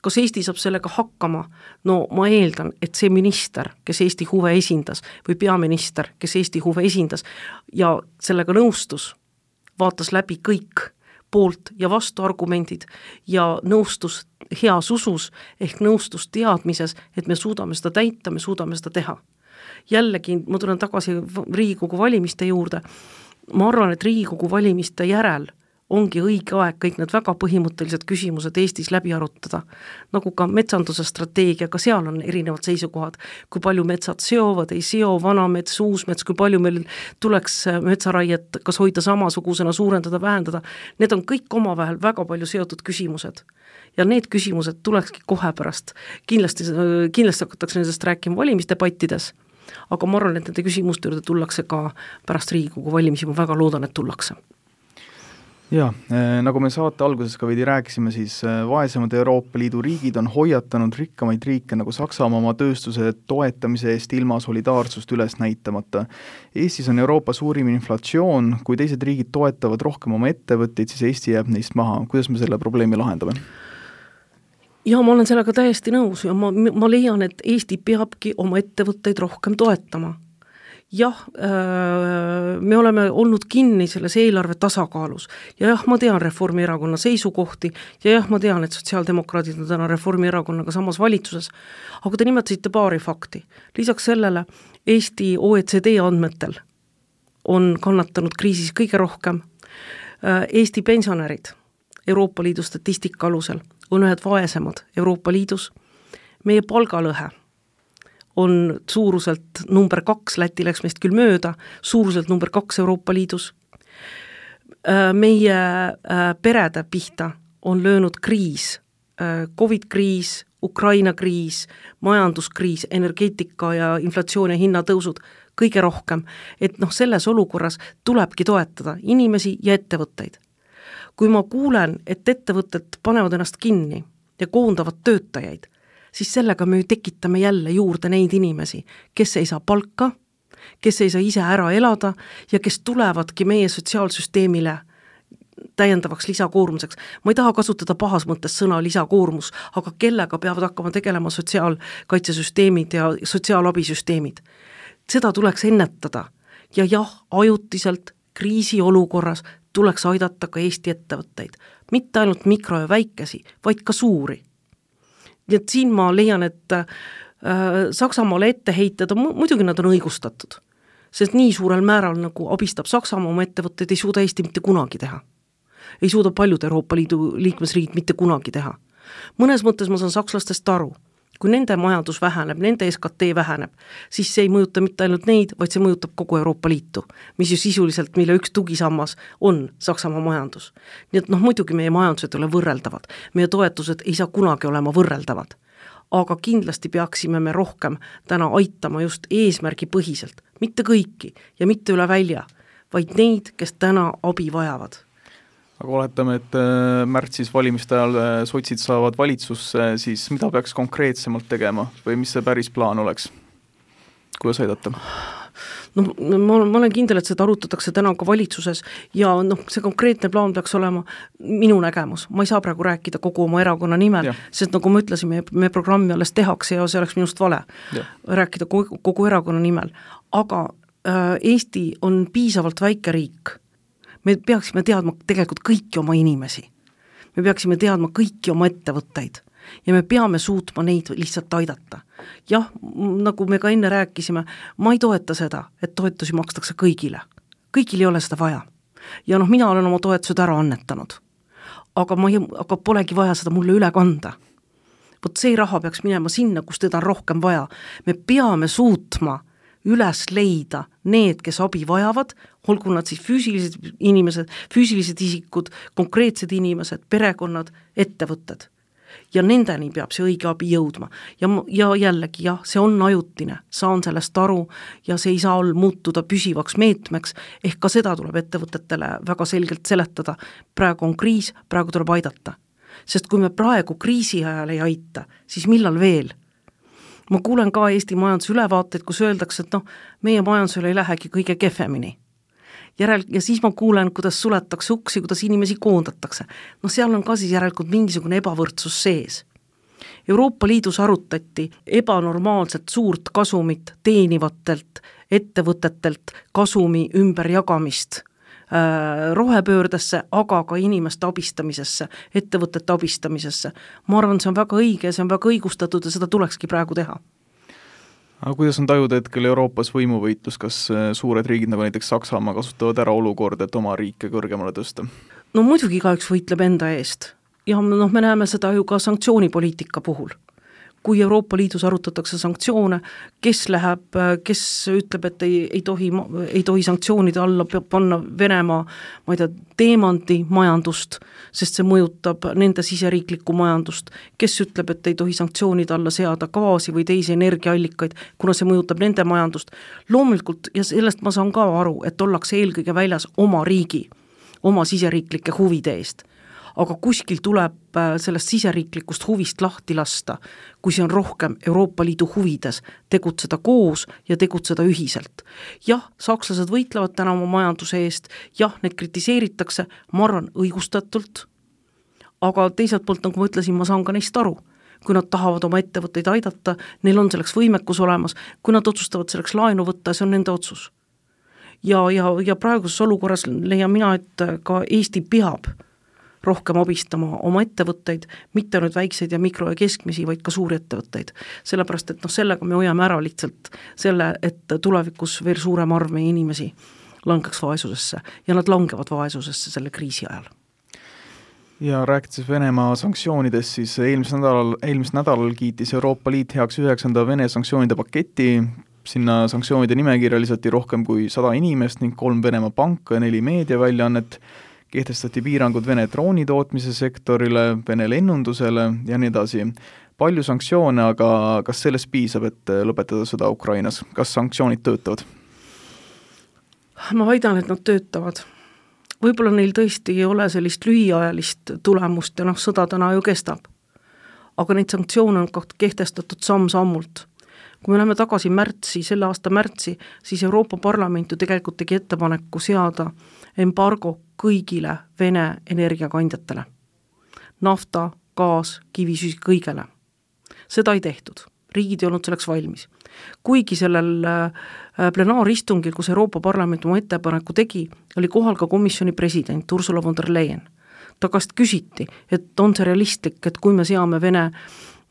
Kas Eesti saab sellega hakkama? No ma eeldan, et see minister, kes Eesti huve esindas või peaminister, kes Eesti huve esindas ja sellega nõustus, vaatas läbi kõik poolt ja vastu argumendid ja nõustus heas usus ehk nõustus teadmises, et me suudame seda täita, me suudame seda teha. Jällegi, ma tulen tagasi Riigikogu valimiste juurde, ma arvan, et Riigikogu valimiste järel ongi õige aeg kõik need väga põhimõttelised küsimused Eestis läbi arutada, nagu ka metsanduse strateegia, ka seal on erinevad seisukohad, kui palju metsad seovad, ei seo, vana mets, uus mets, kui palju meil tuleks metsaraiet kas hoida samasugusena, suurendada, vähendada, need on kõik omavahel väga palju seotud küsimused. Ja need küsimused tulekski kohe pärast, kindlasti, kindlasti hakatakse nendest rääkima valimisdebattides, aga ma arvan, et nende küsimuste juurde tullakse ka pärast Riigikogu valimisi, ma väga loodan, et tullakse. Ja, nagu me saate alguses ka veidi rääkisime, siis vaesemad Euroopa Liidu riigid on hoiatanud rikkamaid riike nagu Saksamaa oma tööstuse toetamise eest ilma solidaarsust üles näitamata. Eestis on Euroopa suurim inflatsioon, kui teised riigid toetavad rohkem oma ettevõtteid, siis Eesti jääb neist maha. Kuidas me selle probleemi lahendame? Ja ma olen sellega täiesti nõus ja ma, ma leian, et Eesti peabki oma ettevõtteid rohkem toetama. Jah, me oleme olnud kinni selles eelarve tasakaalus ja jah, ma tean Reformierakonna seisukohti ja jah, ma tean, et sotsiaaldemokraadid on täna Reformierakonnaga samas valitsuses, aga te nimetasite paari fakti. Lisaks sellele Eesti O E C D andmetel on kannatanud kriisis kõige rohkem. Eesti pensionärid Euroopa Liidu statistika alusel on ühed vaesemad Euroopa Liidus. Meie palgalõhe on suuruselt number kaks, Läti läks meist küll mööda, suuruselt number kaks Euroopa Liidus. Meie perede pihta on löönud kriis, Covid-kriis, Ukraina kriis, majanduskriis, energeetika ja inflatsioon ja hinnatõusud kõige rohkem, et noh, selles olukorras tulebki toetada inimesi ja ettevõtteid. Kui ma kuulen, et ettevõtted panevad ennast kinni ja koondavad töötajaid, siis sellega me tekitame jälle juurde neid inimesi, kes ei saa palka, kes ei saa ise ära elada ja kes tulevadki meie sotsiaalsüsteemile täiendavaks lisakoormuseks. Ma ei taha kasutada pahas mõttes sõna lisakoormus, aga kellega peavad hakkama tegelema sotsiaalkaitsesüsteemid ja sotsiaalabisüsteemid. Seda tuleks ennetada ja jah, ajutiselt kriisiolukorras tuleks aidata ka Eesti ettevõtteid, mitte ainult mikro- ja väikesi, vaid ka suuri. Nii et siin ma leian, et äh, Saksamaale etteheited on, muidugi nad on õigustatud, sest nii suurel määral nagu abistab Saksamaa oma ettevõtteid, ei suuda Eesti mitte kunagi teha. Ei suuda paljud Euroopa Liidu liikmesriigid mitte kunagi teha. Mõnes mõttes ma saan sakslastest aru, kui nende majandus väheneb, nende S K T väheneb, siis see ei mõjuta mitte ainult neid, vaid see mõjutab kogu Euroopa Liitu, mis ju sisuliselt, mille üks tugisammas on Saksamaa majandus. Nii et noh, muidugi meie majandused ei ole võrreldavad, meie toetused ei saa kunagi olema võrreldavad, aga kindlasti peaksime me rohkem täna aitama just eesmärgi põhiselt, mitte kõiki ja mitte üle välja, vaid neid, kes täna abi vajavad. Aga oletame, et märtsis valimiste ajal sotsid saavad valitsusse, siis mida peaks konkreetsemalt tegema või mis see päris plaan oleks? Kuidas aidata? No, ma, ma olen kindel, et seda arutatakse täna ka valitsuses ja noh, see konkreetne plaan peaks olema minu nägemus. Ma ei saa praegu rääkida kogu oma erakonna nimel, ja. Sest nagu ma ütlesin, me, me programmi alles tehakse ja see oleks minust vale ja. Rääkida kogu, kogu erakonna nimel. Aga äh, Eesti on piisavalt väike riik. Me peaksime teadma tegelikult kõiki oma inimesi. Me peaksime teadma kõiki oma ettevõtteid ja me peame suutma neid lihtsalt aidata. Jah, nagu me ka enne rääkisime, ma ei toeta seda, et toetusi makstakse kõigile. Kõigil ei ole seda vaja. Ja noh, mina olen oma toetused ära annetanud. Aga, ma ei, aga polegi vaja seda mulle üle kanda. Vot see raha peaks minema sinna, kus teda on rohkem vaja. Me peame suutma üles leida need, kes abi vajavad, olgu nad siis füüsilised inimesed, füüsilised isikud, konkreetsed inimesed, perekonnad, ettevõtted. Ja nendeni peab see õige abi jõudma. Ja, ja jällegi, jah, see on ajutine, saan sellest aru ja see ei saa olla muutuda püsivaks meetmeks, ehk ka seda tuleb ettevõtetele väga selgelt seletada. Praegu on kriis, praegu tuleb aidata. Sest kui me praegu kriisi ajal ei aita, siis millal veel? Ma kuulen ka Eesti majanduse ülevaateid, kus öeldakse, et noh, meie majandusele ei lähegi kõige kehvemini. Järel, ja siis ma kuulen, kuidas suletakse uksi, kuidas inimesi koondatakse. No seal on ka siis järelikult mingisugune ebavõrdsus sees. Euroopa Liidus arutati ebanormaalselt suurt kasumit teenivatelt ettevõtetelt kasumi ümberjagamist rohepöördesse, aga ka inimeste abistamisesse, ettevõtete abistamisesse. Ma arvan, see on väga õige, see on väga õigustatud ja seda tulekski praegu teha. Aga kuidas on tajuda hetkel Euroopas võimuvõitlus, kas suured riigid nagu näiteks Saksamaa kasutavad ära olukorda, et oma riike kõrgemale tõsta? No muidugi igaüks võitleb enda eest ja noh, me näeme seda ju ka sanktsioonipoliitika puhul. Kui Euroopa Liidus arutatakse sanktsioone, kes läheb, kes ütleb, et ei, ei, tohi, ei tohi sanktsioonide alla panna Venemaa, ma ei tea, teemandi majandust, sest see mõjutab nende siseriiklikku majandust, kes ütleb, et ei tohi sanktsioonide alla seada gaasi või teisi energiaallikaid, kuna see mõjutab nende majandust. Loomulikult, ja sellest ma saan ka aru, et ollakse eelkõige väljas oma riigi, oma siseriiklike huvide eest. Aga kuskil tuleb sellest siseriiklikust huvist lahti lasta, kui see on rohkem Euroopa Liidu huvides, tegutseda koos ja tegutseda ühiselt. Jah, sakslased võitlevad täna oma majanduse eest, jah, need kritiseeritakse, ma arvan, õigustatult, aga teiselt poolt, nagu ma ütlesin, ma saan ka neist aru. Kui nad tahavad oma ettevõtteid aidata, neil on selleks võimekus olemas, kui nad otsustavad selleks laenu võtta, see on nende otsus. Ja, ja, ja praeguses olukorras leian mina, et ka Eesti peab rohkem abistama oma ettevõtteid, mitte nüüd väikseid ja mikro- ja keskmisi, vaid ka suuri ettevõtteid. Sellepärast, et noh, sellega me hoiame ära lihtsalt selle, et tulevikus veel suurem arv meie inimesi langeks vaesusesse ja nad langevad vaesusesse selle kriisi ajal. Ja rääkides Venemaa sanktsioonidest, siis eelmisel nädalal, eelmisel nädalal kiitis Euroopa Liit heaks üheksanda Vene sanktsioonide paketi. Sinna sanktsioonide nimekirja lisati rohkem kui sada inimest ning kolm Venemaa panka ja neli meediaväljaannet. Kehtestati piirangud Vene droonitootmise sektorile, Vene lennundusele ja nii edasi. Palju sanktsioone, aga kas sellest piisab, et lõpetada sõda Ukrainas? Kas sanktsioonid töötavad? Ma väidan, et nad töötavad. Võib-olla neil tõesti ei ole sellist lühiajalist tulemust ja noh, sõda täna ju kestab. Aga neid sanktsioone on kehtestatud samm-sammult. Kui me läheme tagasi märtsi, selle aasta märtsi, siis Euroopa Parlament ju tegelikult tegi ettepaneku seada embargo kõigile Vene energiakandjatele. Nafta, gaas, kivisüsi kõigele. Seda ei tehtud. riigid ei olnud selleks valmis. Kuigi sellel plenaaristungil, kus Euroopa Parlament oma ettepaneku tegi, oli kohal ka komisjoni president Ursula von der Leyen. Ta käest küsiti, et on see realistlik, et kui me seame Vene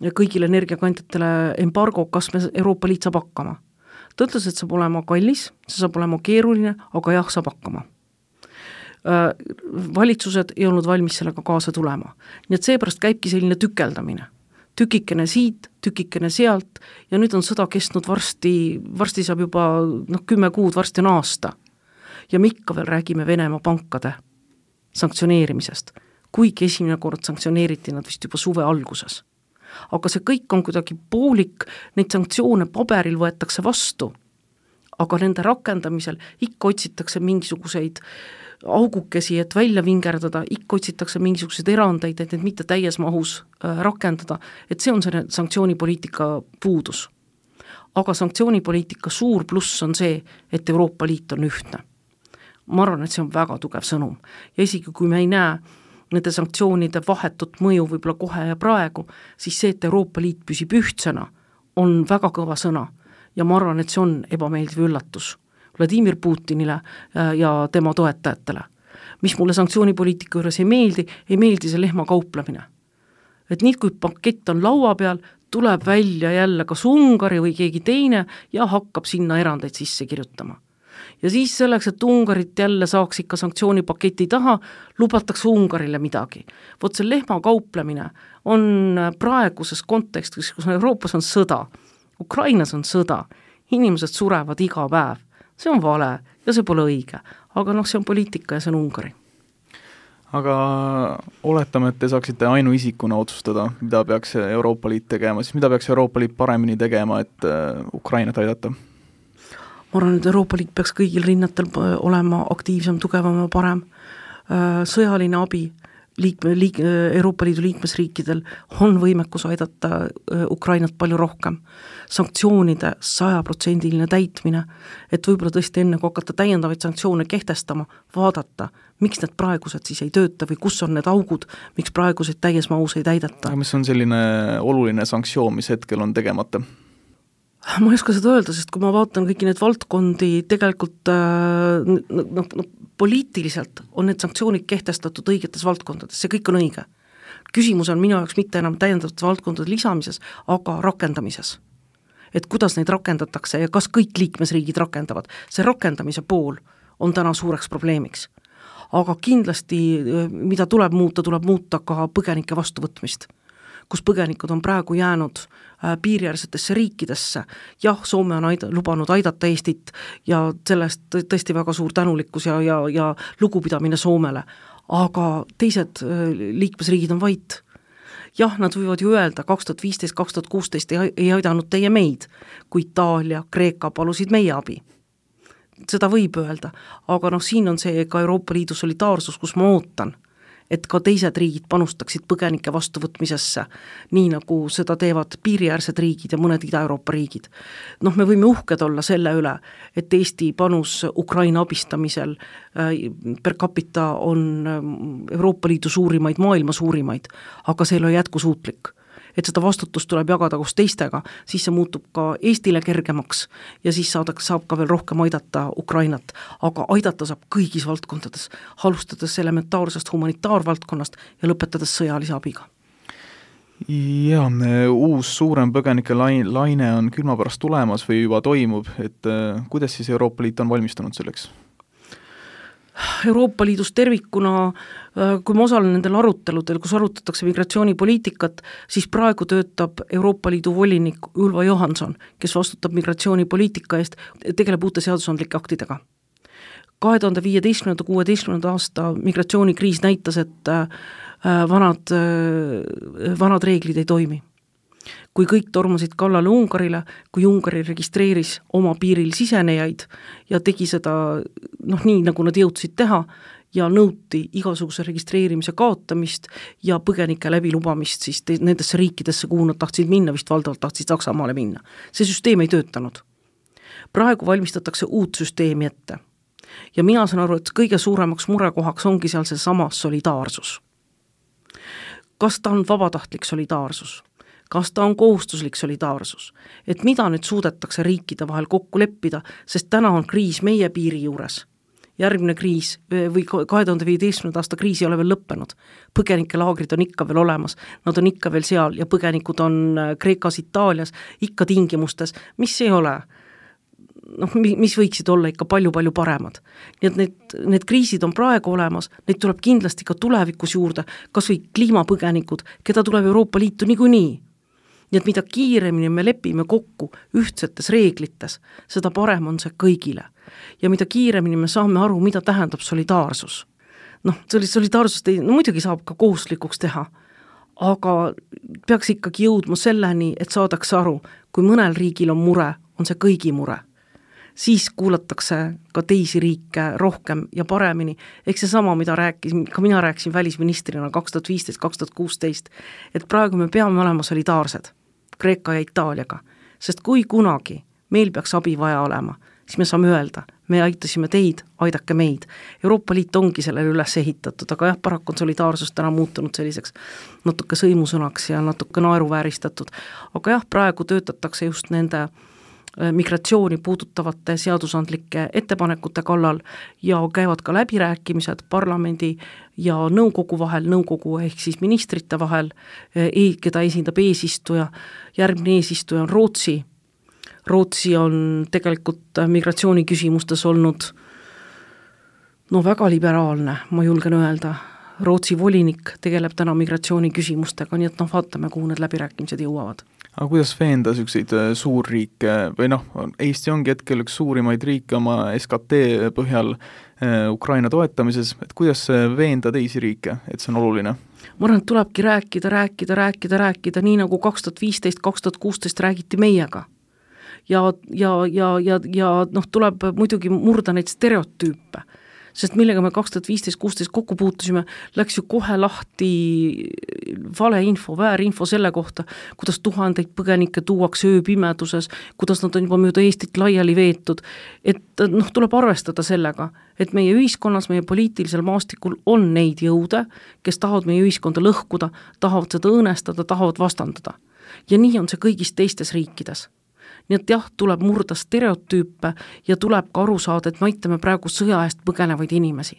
kõigile energiakandjatele embargo, kas me Euroopa Liit saab hakkama. Ta ütles, et saab olema kallis, see saab olema keeruline, aga jah, saab hakkama. Valitsused ei olnud valmis sellega kaasa tulema. Nii et seepärast käibki selline tükeldamine. Tükikene siit, tükikene sealt ja nüüd on sõda kestnud varsti, varsti saab juba no, kümme kuud, varsti on aasta. Ja me ikka veel räägime Venemaa pankade sanktsioneerimisest, kuigi esimene kord sanktsioneeriti nad vist juba suve alguses. Aga see kõik on kuidagi poolik, neid sanktsioone paberil võetakse vastu, aga nende rakendamisel ikka otsitakse mingisuguseid augukesi, et välja vingerdada, ikka otsitakse mingisuguseid erandeid, et need mitte täies mahus äh, rakendada, et see on see sanktsioonipoliitika puudus. Aga sanktsioonipoliitika suur pluss on see, et Euroopa Liit on ühtne. Ma arvan, et see on väga tugev sõnum. Ja isegi kui me ei näe nende sanktsioonide vahetut mõju võib-olla kohe ja praegu, siis see, et Euroopa Liit püsib ühtsena, on väga kõva sõna. Ja ma arvan, et see on ebameeldiv üllatus Vladimir Putinile ja tema toetajatele. Mis mulle sanktsioonipoliitika juures ei meeldi, ei meeldi see lehma kauplemine. Et nii, kui pakett on laua peal, tuleb välja jälle kas Ungari või keegi teine ja hakkab sinna erandeid sisse kirjutama. Ja siis selleks, et Ungarit jälle saaks ikka sanktsioonipaketi taha, lubatakse Ungarile midagi. Vot see lehma kauplemine on praeguses kontekstis, kus Euroopas on sõda, Ukrainas on sõda, inimesed surevad iga päev. See on vale ja see pole õige, aga noh, see on poliitika ja see on Ungari. Aga oletame, et te saaksite ainuisikuna otsustada, mida peaks Euroopa Liit tegema, siis mida peaks Euroopa Liit paremini tegema, et Ukrainat aidata? Ma arvan, et Euroopa Liit peaks kõigil rinnatel olema aktiivsem, tugevam ja parem. Sõjaline abi liik, liik, Euroopa Liidu liikmesriikidel on võimekus aidata Ukrainat palju rohkem. Sanktsioonide sajaprotsendiline täitmine, et võib-olla tõesti enne, kui hakata täiendavaid sanktsioone kehtestama, vaadata, miks need praegused siis ei tööta või kus on need augud, miks praegused täies mahus ei täidata. Aga mis on selline oluline sanktsioon, mis hetkel on tegemata? Ma ei oska seda öelda, sest kui ma vaatan kõiki need valdkondi, tegelikult no, no, no, poliitiliselt on need sanktsioonid kehtestatud õigetes valdkondades, see kõik on õige. Küsimus on minu jaoks mitte enam täiendavate valdkondade lisamises, aga rakendamises. Et kuidas neid rakendatakse ja kas kõik liikmesriigid rakendavad. See rakendamise pool on täna suureks probleemiks. Aga kindlasti, mida tuleb muuta, tuleb muuta ka põgenike vastuvõtmist, kus põgenikud on praegu jäänud piiriäärsetesse riikidesse. Jah, Soome on aida, lubanud aidata Eestit ja sellest tõesti väga suur tänulikkus ja, ja, ja lugupidamine Soomele, aga teised liikmesriigid on vait. Jah, nad võivad ju öelda, kaks tuhat viisteist kaks tuhat kuusteist ei aidanud teie meid, kui Itaalia, Kreeka palusid meie abi. Seda võib öelda, aga noh, siin on see ka Euroopa Liidu solidaarsus, kus ma ootan, et ka teised riigid panustaksid põgenike vastuvõtmisesse, nii nagu seda teevad piiriäärsed riigid ja mõned Ida-Euroopa riigid. Noh, me võime uhked olla selle üle, et Eesti panus Ukraina abistamisel per capita on Euroopa Liidu suurimaid, maailma suurimaid, aga see ei ole jätkusuutlik. Et seda vastutust tuleb jagada koos teistega, siis see muutub ka Eestile kergemaks ja siis saadaks, saab ka veel rohkem aidata Ukrainat, aga aidata saab kõigis valdkondades, alustades elementaarsest humanitaarvaldkonnast ja lõpetades sõjalise abiga. Ja, uus suurem põgenike laine on külma pärast tulemas või juba toimub, et kuidas siis Euroopa Liit on valmistunud selleks? Euroopa Liidus tervikuna, kui ma osalen nendel aruteludel, kus arutatakse migratsioonipoliitikat, siis praegu töötab Euroopa Liidu volinik Ylva Johansson, kes vastutab migratsioonipoliitika eest, tegeleb uute seadusandlike aktidega. kahe tuhande viieteistkümnenda kuueteistkümnenda aasta migratsioonikriis näitas, et vanad, vanad reeglid ei toimi. Kui kõik tormasid kallale Ungarile, kui Ungari registreeris oma piiril sisenejaid ja tegi seda noh, nii, nagu nad jõudsid teha ja nõuti igasuguse registreerimise kaotamist ja põgenike läbilubamist siis te- nendesse riikidesse, kuhu nad tahtsid minna, vist valdavalt tahtsid Saksamaale minna. See süsteem ei töötanud. Praegu valmistatakse uut süsteemi ette. Ja mina saan aru, et kõige suuremaks murekohaks ongi seal see sama solidaarsus. Kas ta on vabatahtlik solidaarsus? kas ta on kohustuslik solidaarsus, et mida nüüd suudetakse riikide vahel kokku leppida, sest täna on kriis meie piiri juures. Järgmine kriis või kahe tuhande viieteistkümnenda aasta kriis ei ole veel lõppenud. Põgenikelaagrid on ikka veel olemas, nad on ikka veel seal ja põgenikud on Kreekas, Itaalias ikka tingimustes, mis ei ole, noh, mis võiksid olla ikka palju-palju paremad. Nii et need, need kriisid on praegu olemas, neid tuleb kindlasti ka tulevikus juurde, kas või kliimapõgenikud, keda tuleb Euroopa Liitu niikuinii. Nii et mida kiiremini me lepime kokku ühtsetes reeglites, seda parem on see kõigile. Ja mida kiiremini me saame aru, mida tähendab solidaarsus. Noh, solidaarsust ei, no muidugi saab ka kohuslikuks teha, aga peaks ikkagi jõudma selleni, et saadakse aru, kui mõnel riigil on mure, on see kõigi mure. Siis kuulatakse ka teisi riike rohkem ja paremini. Ehk see sama, mida rääkis, ka mina rääkisin välisministrina kaks tuhat viisteist kaks tuhat kuusteist, et praegu me peame olema solidaarsed Kreeka ja Itaaliaga, sest kui kunagi meil peaks abi vaja olema, siis me saame öelda, me aitasime teid, aidake meid. Euroopa Liit ongi sellele üles ehitatud, aga jah, paraku on solidaarsus täna muutunud selliseks natuke sõimusõnaks ja natuke naeruvääristatud. Aga jah, praegu töötatakse just nende migratsiooni puudutavate seadusandlike ettepanekute kallal ja käivad ka läbirääkimised parlamendi ja nõukogu vahel, nõukogu ehk siis ministrite vahel, keda esindab eesistuja. Järgmine eesistuja on Rootsi. Rootsi on tegelikult migratsiooni küsimustes olnud no väga liberaalne, ma julgen öelda. Rootsi volinik tegeleb täna migratsiooni küsimustega, nii et noh, vaatame, kuhu need läbirääkimised jõuavad. Aga kuidas veenda selliseid suurriike või noh, Eesti ongi hetkel üks suurimaid riike oma S K T põhjal Ukraina toetamises, et kuidas veenda teisi riike, et see on oluline? Ma arvan, et tulebki rääkida, rääkida, rääkida, rääkida, nii nagu kaks tuhat viisteist kaks tuhat kuusteist räägiti meiega. Ja, ja, ja, ja, ja noh, tuleb muidugi murda neid stereotüüpe, sest millega me kaks tuhat viisteist kuusteist kokku puutusime, läks ju kohe lahti valeinfo, väärinfo selle kohta, kuidas tuhandeid põgenikke tuuakse ööpimeduses, kuidas nad on juba mööda Eestit laiali veetud, et noh, tuleb arvestada sellega, et meie ühiskonnas, meie poliitilisel maastikul on neid jõude, kes tahavad meie ühiskonda lõhkuda, tahavad seda õõnestada, tahavad vastandada. Ja nii on see kõigis teistes riikides. Nii et jah, tuleb murda stereotüüpe ja tuleb ka aru saada, et me aitame praegu sõja eest põgenevaid inimesi.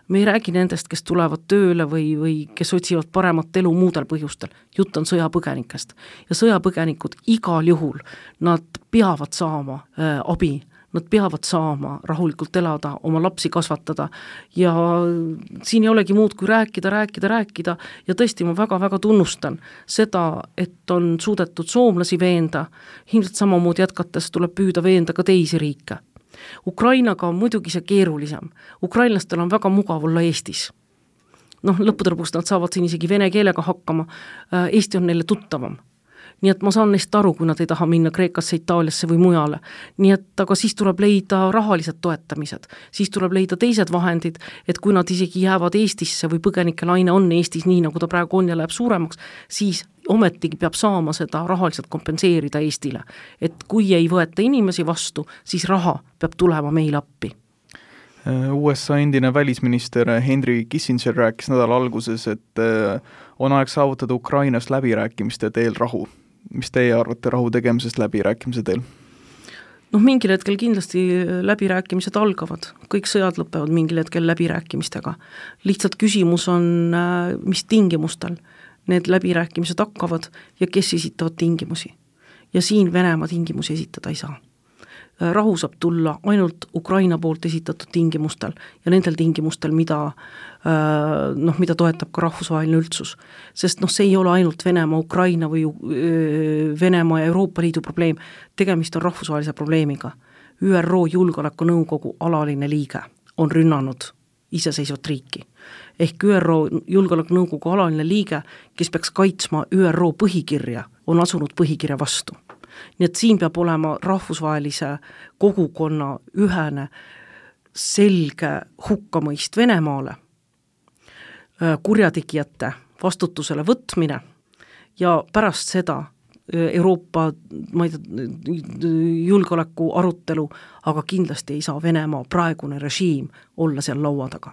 Me ei räägi nendest, kes tulevad tööle või, või kes otsivad paremat elu muudel põhjustel. Jutt on sõjapõgenikest. Ja sõjapõgenikud igal juhul, nad peavad saama äh, abi, nad peavad saama rahulikult elada, oma lapsi kasvatada ja siin ei olegi muud kui rääkida, rääkida, rääkida ja tõesti ma väga-väga tunnustan seda, et on suudetud soomlasi veenda, ilmselt samamoodi jätkates tuleb püüda veenda ka teisi riike. Ukrainaga on muidugi see keerulisem. Ukrainlastel on väga mugav olla Eestis. Noh, lõppude lõpuks nad saavad siin isegi vene keelega hakkama, Eesti on neile tuttavam. Nii et ma saan neist aru, kui nad ei taha minna Kreekasse, Itaaliasse või mujale. Nii et aga siis tuleb leida rahalised toetamised, siis tuleb leida teised vahendid, et kui nad isegi jäävad Eestisse või põgenikelaine on Eestis nii, nagu ta praegu on ja läheb suuremaks, siis ometigi peab saama seda rahaliselt kompenseerida Eestile. Et kui ei võeta inimesi vastu, siis raha peab tulema meil appi. U S A endine välisminister Henry Kissinger rääkis nädala alguses, et on aeg saavutada Ukrainas läbirääkimiste teel rahu. Mis teie arvate rahu tegemisest läbirääkimise teel? Noh, mingil hetkel kindlasti läbirääkimised algavad. Kõik sõjad lõpevad mingil hetkel läbirääkimistega. Lihtsalt küsimus on, mis tingimustel need läbirääkimised hakkavad ja kes esitavad tingimusi. Ja siin Venemaa tingimusi esitada ei saa. Rahu saab tulla ainult Ukraina poolt esitatud tingimustel ja nendel tingimustel, mida, noh, mida toetab ka rahvusvaheline üldsus. Sest noh, see ei ole ainult Venemaa, Ukraina või Venemaa ja Euroopa Liidu probleem, tegemist on rahvusvahelise probleemiga. Ü R O Julgeolekunõukogu alaline liige on rünnanud iseseisvat riiki. Ehk Ü R O Julgeolekunõukogu alaline liige, kes peaks kaitsma Ü R O põhikirja, on asunud põhikirja vastu. Nii et siin peab olema rahvusvahelise kogukonna ühene selge hukkamõist Venemaale, kurjategijate vastutusele võtmine ja pärast seda Euroopa ma ei tea, julgeoleku arutelu, aga kindlasti ei saa Venemaa praegune režiim olla seal laua taga.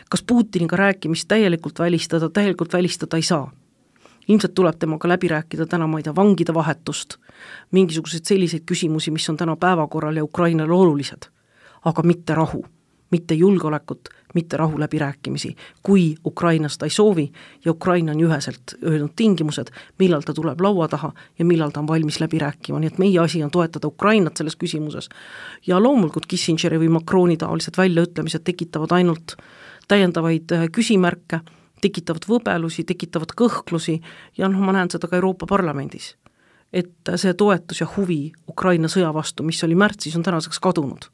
Kas Putiniga rääkimist täielikult välistada, täielikult välistada ei saa? ilmselt tuleb temaga läbi rääkida täna, ma ei tea, vangide vahetust, mingisuguseid selliseid küsimusi, mis on täna päevakorral ja Ukrainale olulised, aga mitte rahu, mitte julgeolekut, mitte rahu läbirääkimisi, kui Ukrainas ta ei soovi ja Ukraina on üheselt öelnud tingimused, millal ta tuleb laua taha ja millal ta on valmis läbi rääkima, nii et meie asi on toetada Ukrainat selles küsimuses. Ja loomulikult Kissingeri või Macroni taolised väljaütlemised tekitavad ainult täiendavaid küsimärke, tekitavad võbelusi, tekitavad kõhklusi ja noh, ma näen seda ka Euroopa Parlamendis, et see toetus ja huvi Ukraina sõja vastu, mis oli märtsis, on tänaseks kadunud.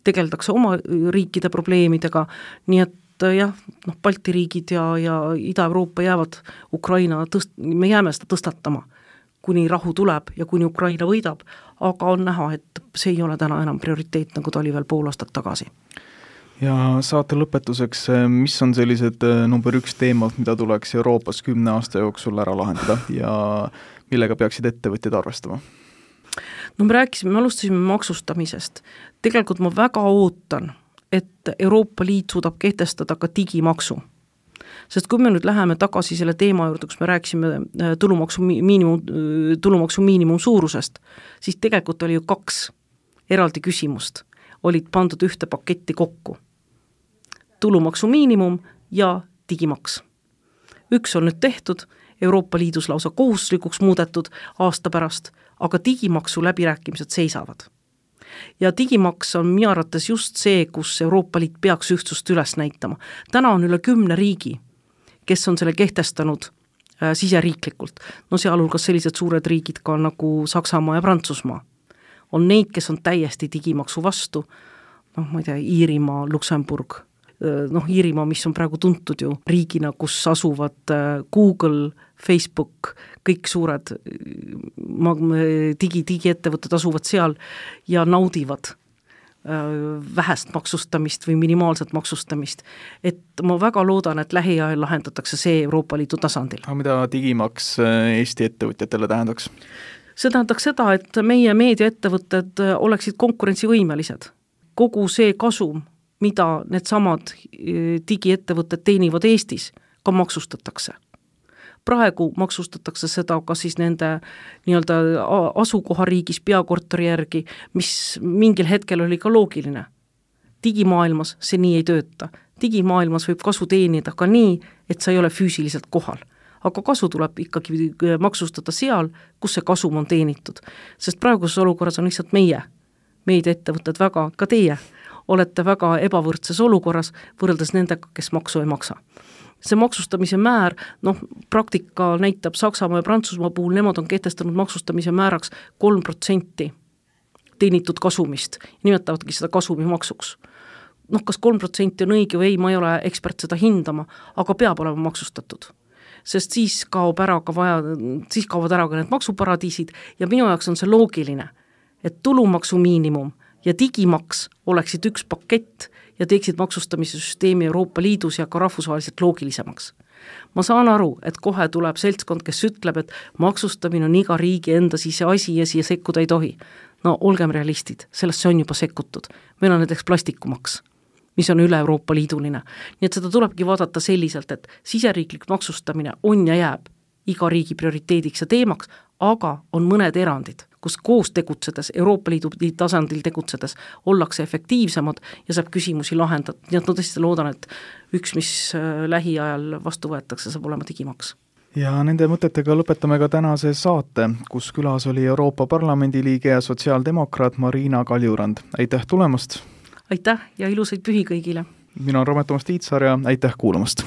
Tegeldakse oma riikide probleemidega, nii et jah, noh, Balti riigid ja, ja Ida-Euroopa jäävad Ukraina, tõst-, me jääme seda tõstatama, kuni rahu tuleb ja kuni Ukraina võidab, aga on näha, et see ei ole täna enam prioriteet, nagu ta oli veel pool aastat tagasi. Ja saate lõpetuseks, mis on sellised number üks teemad, mida tuleks Euroopas kümne aasta jooksul ära lahendada ja millega peaksid ettevõtjad arvestama? No me rääkisime, me alustasime maksustamisest. Tegelikult ma väga ootan, et Euroopa Liit suudab kehtestada ka digimaksu. Sest kui me nüüd läheme tagasi selle teema juurde, kus me rääkisime tulumaksu miinimum, tulumaksu miinimum suurusest, siis tegelikult oli ju kaks eraldi küsimust, olid pandud ühte paketti kokku. Tulumaksu miinimum ja digimaks. Üks on nüüd tehtud, Euroopa Liidus lausa kohustuslikuks muudetud aasta pärast, aga digimaksu läbirääkimised seisavad. Ja digimaks on minu arvates just see, kus Euroopa Liit peaks ühtsust üles näitama. Täna on üle kümne riigi, kes on selle kehtestanud äh, siseriiklikult. No sealhulgas sellised suured riigid ka nagu Saksamaa ja Prantsusmaa. On neid, kes on täiesti digimaksu vastu, noh, ma ei tea, Iirimaa, Luksemburg, noh, Iirimaa, mis on praegu tuntud ju riigina, kus asuvad Google, Facebook, kõik suured digi, digiettevõtted asuvad seal ja naudivad vähest maksustamist või minimaalset maksustamist. Et ma väga loodan, et lähiajal lahendatakse see Euroopa Liidu tasandil. Aga mida digimaks Eesti ettevõtjatele tähendaks? See tähendaks seda, et meie meediaettevõtted oleksid konkurentsivõimelised. Kogu see kasum, mida need samad digiettevõtted teenivad Eestis, ka maksustatakse. Praegu maksustatakse seda ka siis nende nii-öelda asukohariigis peakorteri järgi, mis mingil hetkel oli ka loogiline. Digimaailmas see nii ei tööta. Digimaailmas võib kasu teenida ka nii, et sa ei ole füüsiliselt kohal. Aga kasu tuleb ikkagi maksustada seal, kus see kasum on teenitud. Sest praeguses olukorras on lihtsalt meie, meediaettevõtted väga, ka teie, olete väga ebavõrdses olukorras võrreldes nendega, kes maksu ei maksa. See maksustamise määr, noh, praktika näitab Saksamaa ja Prantsusmaa puhul, nemad on kehtestanud maksustamise määraks kolm protsenti teenitud kasumist. Nimetavadki seda kasumimaksuks. Noh, kas kolm protsenti on õige või ei, ma ei ole ekspert seda hindama, aga peab olema maksustatud. Sest siis kaob ära ka vaja, siis kaovad ära ka need maksuparadiisid ja minu jaoks on see loogiline, et tulumaksu miinimum ja digimaks oleksid üks pakett ja teeksid maksustamise süsteemi Euroopa Liidus ja ka rahvusvaheliselt loogilisemaks. Ma saan aru, et kohe tuleb seltskond, kes ütleb, et maksustamine on iga riigi enda sise asi ja siia sekkuda ei tohi. No olgem realistid, sellest see on juba sekkutud. Meil on näiteks plastikumaks, mis on üle Euroopa Liiduline. Nii et seda tulebki vaadata selliselt, et siseriiklik maksustamine on ja jääb iga riigi prioriteediks ja teemaks, aga on mõned erandid, kus koos tegutsedes, Euroopa Liidu tasandil tegutsedes, ollakse efektiivsemad ja saab küsimusi lahendada. Nii et no tõesti loodan, et üks, mis lähiajal vastu võetakse, saab olema digimaks. Ja nende mõtetega lõpetame ka tänase saate, kus külas oli Euroopa Parlamendi liige ja sotsiaaldemokraat Marina Kaljurand. Aitäh tulemast! Aitäh ja ilusaid pühi kõigile! Mina olen Romet Toomas Tiitsar ja aitäh kuulamast!